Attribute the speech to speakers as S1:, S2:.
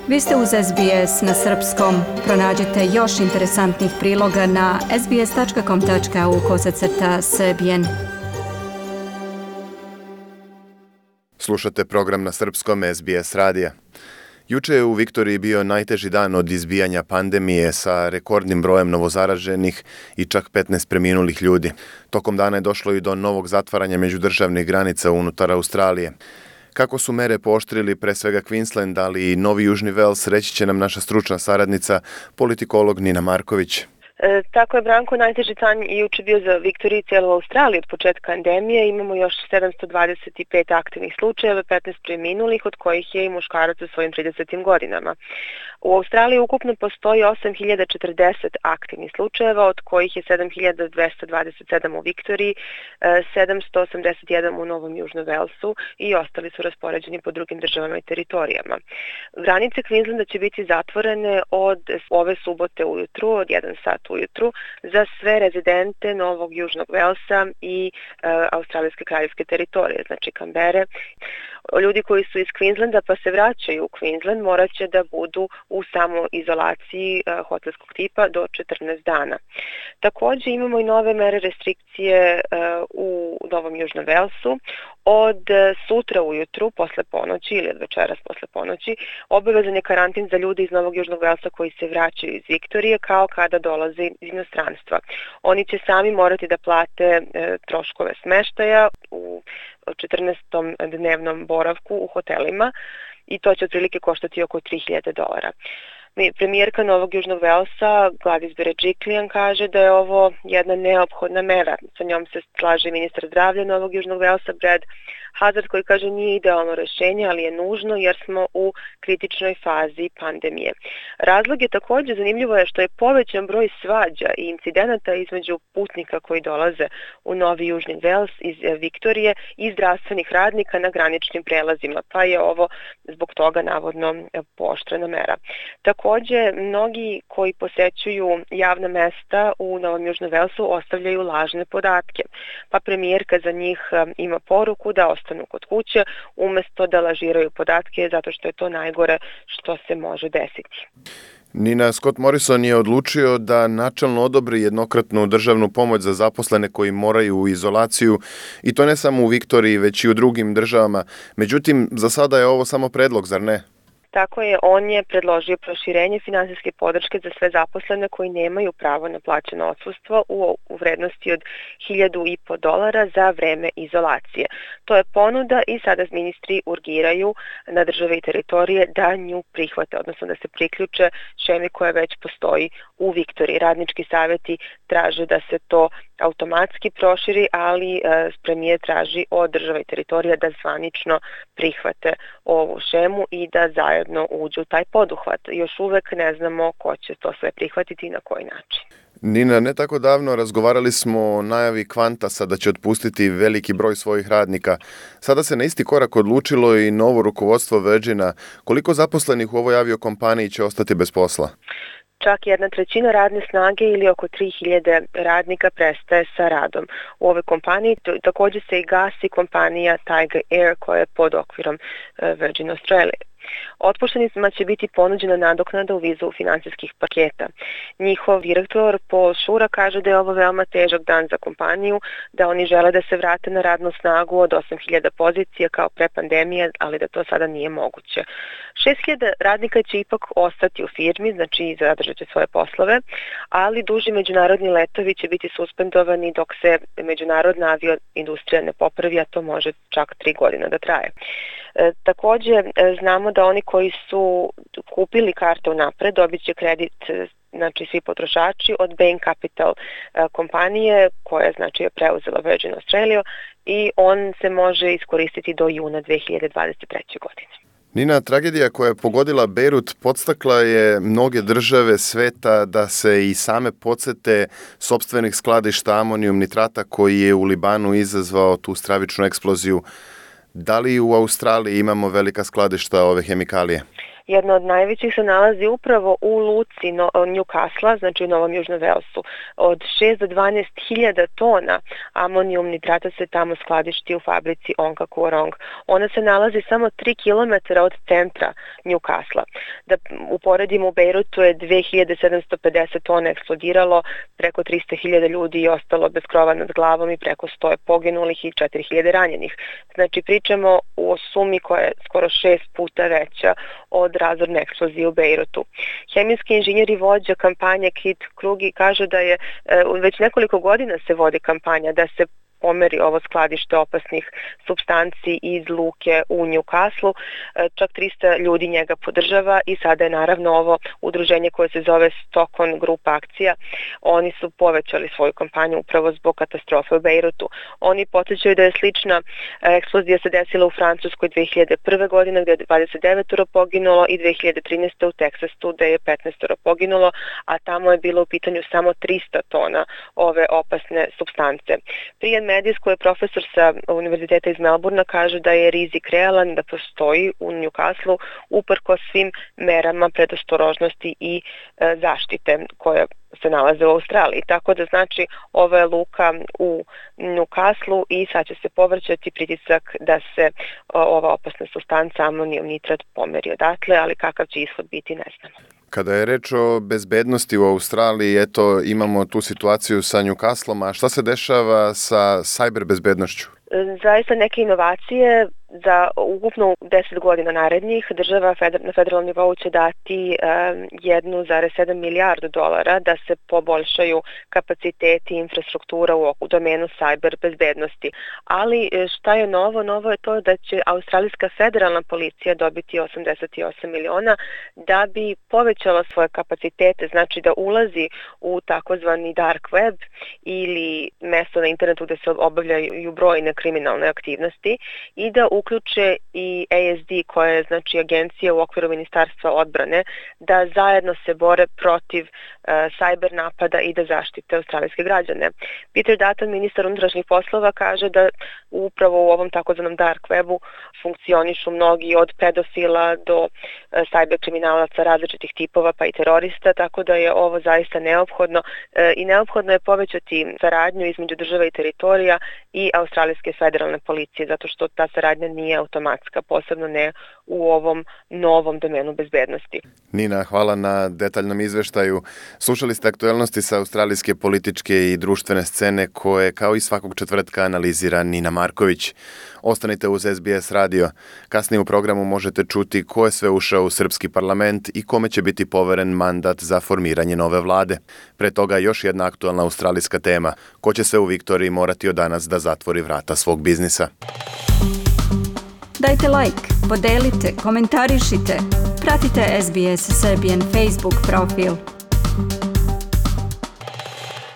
S1: Vi ste uz SBS na srpskom. Pronađite još interesantnih priloga na sbs.com.au/srbijen.
S2: Slušate program na srpskom SBS radija. Juče je u Viktoriji bio najteži dan od izbijanja pandemije sa rekordnim brojem novozaraženih i čak 15 preminulih ljudi. Tokom dana je došlo i do novog zatvaranja međudržavnih granica unutar Australije. Kako su mere pooštrili pre svega Queensland, ali i Novi Južni Vels, reći će nam naša stručna saradnica, politikolog Nina Marković.
S3: Tako je, Branko, najteži dan i juče bio za Viktoriju i cijelu Australiju od početka pandemije. Imamo još 725 aktivnih slučajeva, 15 preminulih, od kojih je i muškarac u svojim 30. godinama. U Australiji ukupno postoji 8040 aktivnih slučajeva, od kojih je 7227 u Viktoriji, 781 u Novom Južnom Velsu i ostali su raspoređeni po drugim državama i teritorijama. Granice Queenslanda će biti zatvorene od ove subote ujutru, od 1 sat ujutru, za sve rezidente Novog Južnog Velsa i Australijske kraljevske teritorije, znači Kambere. Ljudi koji su iz Queenslanda pa se vraćaju u Queensland morat će da budu u samoizolaciji hotelskog tipa do 14 dana. Također imamo i nove mere restrikcije u Novom Južnom Velsu. Od sutra ujutru, posle ponoći ili od večeras posle ponoći, obavezan je karantin za ljude iz Novog Južnog Velsa koji se vraćaju iz Viktorije kao kada dolaze iz inostranstva. Oni će sami morati da plate troškove smeštaja u 14. dnevnom boravku u hotelima i to će otprilike koštati oko $3.000. Premijerka Novog Južnog Velsa, Gladys Berejiklian, kaže da je ovo jedna neophodna mera. Sa njom se slaže ministar zdravlja Novog Južnog Velsa, Brad Hazzard, koji kaže nije idealno rješenje, ali je nužno jer smo u kritičnoj fazi pandemije. Razlog je također zanimljivo je što je povećan broj svađa i incidenata između putnika koji dolaze u Novi Južni Vels iz Viktorije i zdravstvenih radnika na graničnim prelazima, pa je ovo zbog toga navodno pooštrena mera. Također, mnogi koji posećuju javna mesta u Novom Južnom Velsu ostavljaju lažne podatke, pa premijerka za njih ima poruku da ostanu kod kuće umjesto da lažiraju podatke zato što je to najgore što se može desiti.
S2: Nina, Scott Morrison je odlučio da načelno odobri jednokratnu državnu pomoć za zaposlene koji moraju u izolaciju i to ne samo u Viktoriji već i u drugim državama. Međutim, za sada je ovo samo predlog, zar ne?
S3: Tako je, on je predložio proširenje finansijske podrške za sve zaposlene koji nemaju pravo na plaćeno odsustvo u vrednosti od $1.500 za vreme izolacije. To je ponuda i sada ministri urgiraju na države i teritorije da nju prihvate, odnosno da se priključe šemi koja već postoji u Viktoriji. Radnički savjeti traže da se to automatski proširi, ali premijer traži od država i teritorija da zvanično prihvate ovu šemu i da zajedno uđu u taj poduhvat. Još uvek ne znamo ko će to sve prihvatiti i na koji način.
S2: Nina, ne tako davno razgovarali smo o najavi Qantasa da će otpustiti veliki broj svojih radnika. Sada se na isti korak odlučilo i novo rukovodstvo Virgina. Koliko zaposlenih u ovoj aviokompaniji će ostati bez posla?
S3: Čak 1/3 radne snage ili oko 3.000 radnika prestaje sa radom. U ovoj kompaniji također se i gasi kompanija Tiger Air koja je pod okvirom Virgin Australia. Otpuštenicima će biti ponuđena nadoknada u vidu financijskih paketa. Njihov direktor Paul Shura kaže da je ovo veoma težak dan za kompaniju, da oni žele da se vrate na radnu snagu od 8.000 pozicija kao pre pandemije, ali da to sada nije moguće. 6.000 radnika će ipak ostati u firmi, znači zadržat će svoje poslove, ali duži međunarodni letovi će biti suspendovani dok se međunarodna avioindustrija ne popravi, a to može čak 3 godine da traje. Također znamo da oni koji su kupili karte unapred dobit će kredit, znači svi potrošači, od Bain Capital kompanije koja znači je preuzela Virgin Australia i on se može iskoristiti do juna 2023. godine.
S2: Nina, tragedija koja je pogodila Beirut podstakla je mnoge države sveta da se i same podsete sopstvenih skladišta amonijum nitrata koji je u Libanu izazvao tu stravičnu eksploziju. Da li u Australiji imamo velika skladišta ove hemikalije?
S3: Jedna od najvećih se nalazi upravo u luci Newcastle, znači u Novom Južnom Velsu. Od 6 do 12 hiljada tona amonijum nitrata se tamo skladišti u fabrici Onka Kuorong. Ona se nalazi samo 3 km od centra Newcastle. Da uporedimo, u Bejrutu je 2750 tona eksplodiralo, preko 300.000 ljudi je ostalo bez krova nad glavom i preko 100 je poginulih i 4000 ranjenih. Znači pričamo o sumi koja je skoro 6 puta veća od razorne eksplozije u Bejrutu. Hemijski inženjer i vođa kampanje Kit Krugi kaže da je već nekoliko godina se vodi kampanja da se pomeri ovo skladište opasnih supstanci iz luke u Newcastle. Čak 300 ljudi njega podržava i sada je naravno ovo udruženje koje se zove Stockton Group akcija. Oni su povećali svoju kampanju upravo zbog katastrofe u Bejrutu. Oni podsjećaju da je slična eksplozija se desila u Francuskoj 2001. godine gdje je 29 poginulo i 2013. u Teksasu gdje je 15 poginulo, a tamo je bilo u pitanju samo 300 tona ove opasne supstance. Prijem Medis, koji je profesor sa Univerziteta iz Melbourna, kaže da je rizik realan, da postoji u Newcastle uprkos svim merama predostrožnosti i zaštite koje se nalaze u Australiji. Tako da znači ova je luka u Newcastle i sad će se povrćati pritisak da se ova opasna supstanca amonijum nitrat pomeri odatle, ali kakav će ishod biti ne znamo.
S2: Kada je reč o bezbednosti u Australiji, eto, imamo tu situaciju sa Newcastlom, a šta se dešava sa cyber bezbednošću?
S3: Zaista neke inovacije za ukupno 10 godina narednih država na federalnom nivou će dati 1,7 milijardu dolara da se poboljšaju kapaciteti i infrastruktura u domenu cyber bezbednosti. Ali šta je novo? Novo je to da će australijska federalna policija dobiti 88 miliona da bi povećala svoje kapacitete, znači da ulazi u takozvani dark web ili mesto na internetu gde se obavljaju brojne kriminalne aktivnosti i da uključe i ASD, koja je znači agencija u okviru Ministarstva odbrane, da zajedno se bore protiv cyber napada i da zaštite australijske građane. Peter Dutton, ministar unutrašnjih poslova, kaže da upravo u ovom takozvanom dark webu funkcionišu mnogi od pedofila do cyber kriminalaca različitih tipova pa i terorista, tako da je ovo zaista neophodno i neophodno je povećati saradnju između država i teritorija i australijske federalne policije, zato što ta saradnja nije automatska, posebno ne u ovom novom domenu bezbednosti.
S2: Nina, hvala na detaljnom izveštaju. Slušali ste aktuelnosti sa australijske političke i društvene scene koje kao i svakog četvrtka analizira Nina Marković. Ostanite uz SBS radio. Kasnije u programu možete čuti ko je sve ušao u srpski parlament i kome će biti poveren mandat za formiranje nove vlade. Pre toga još jedna aktualna australijska tema. Ko će se u Viktoriji morati od danas da zatvori vrata svog biznisa?
S1: Dajte like, podelite, komentarišite. Pratite SBS Serbian Facebook profil.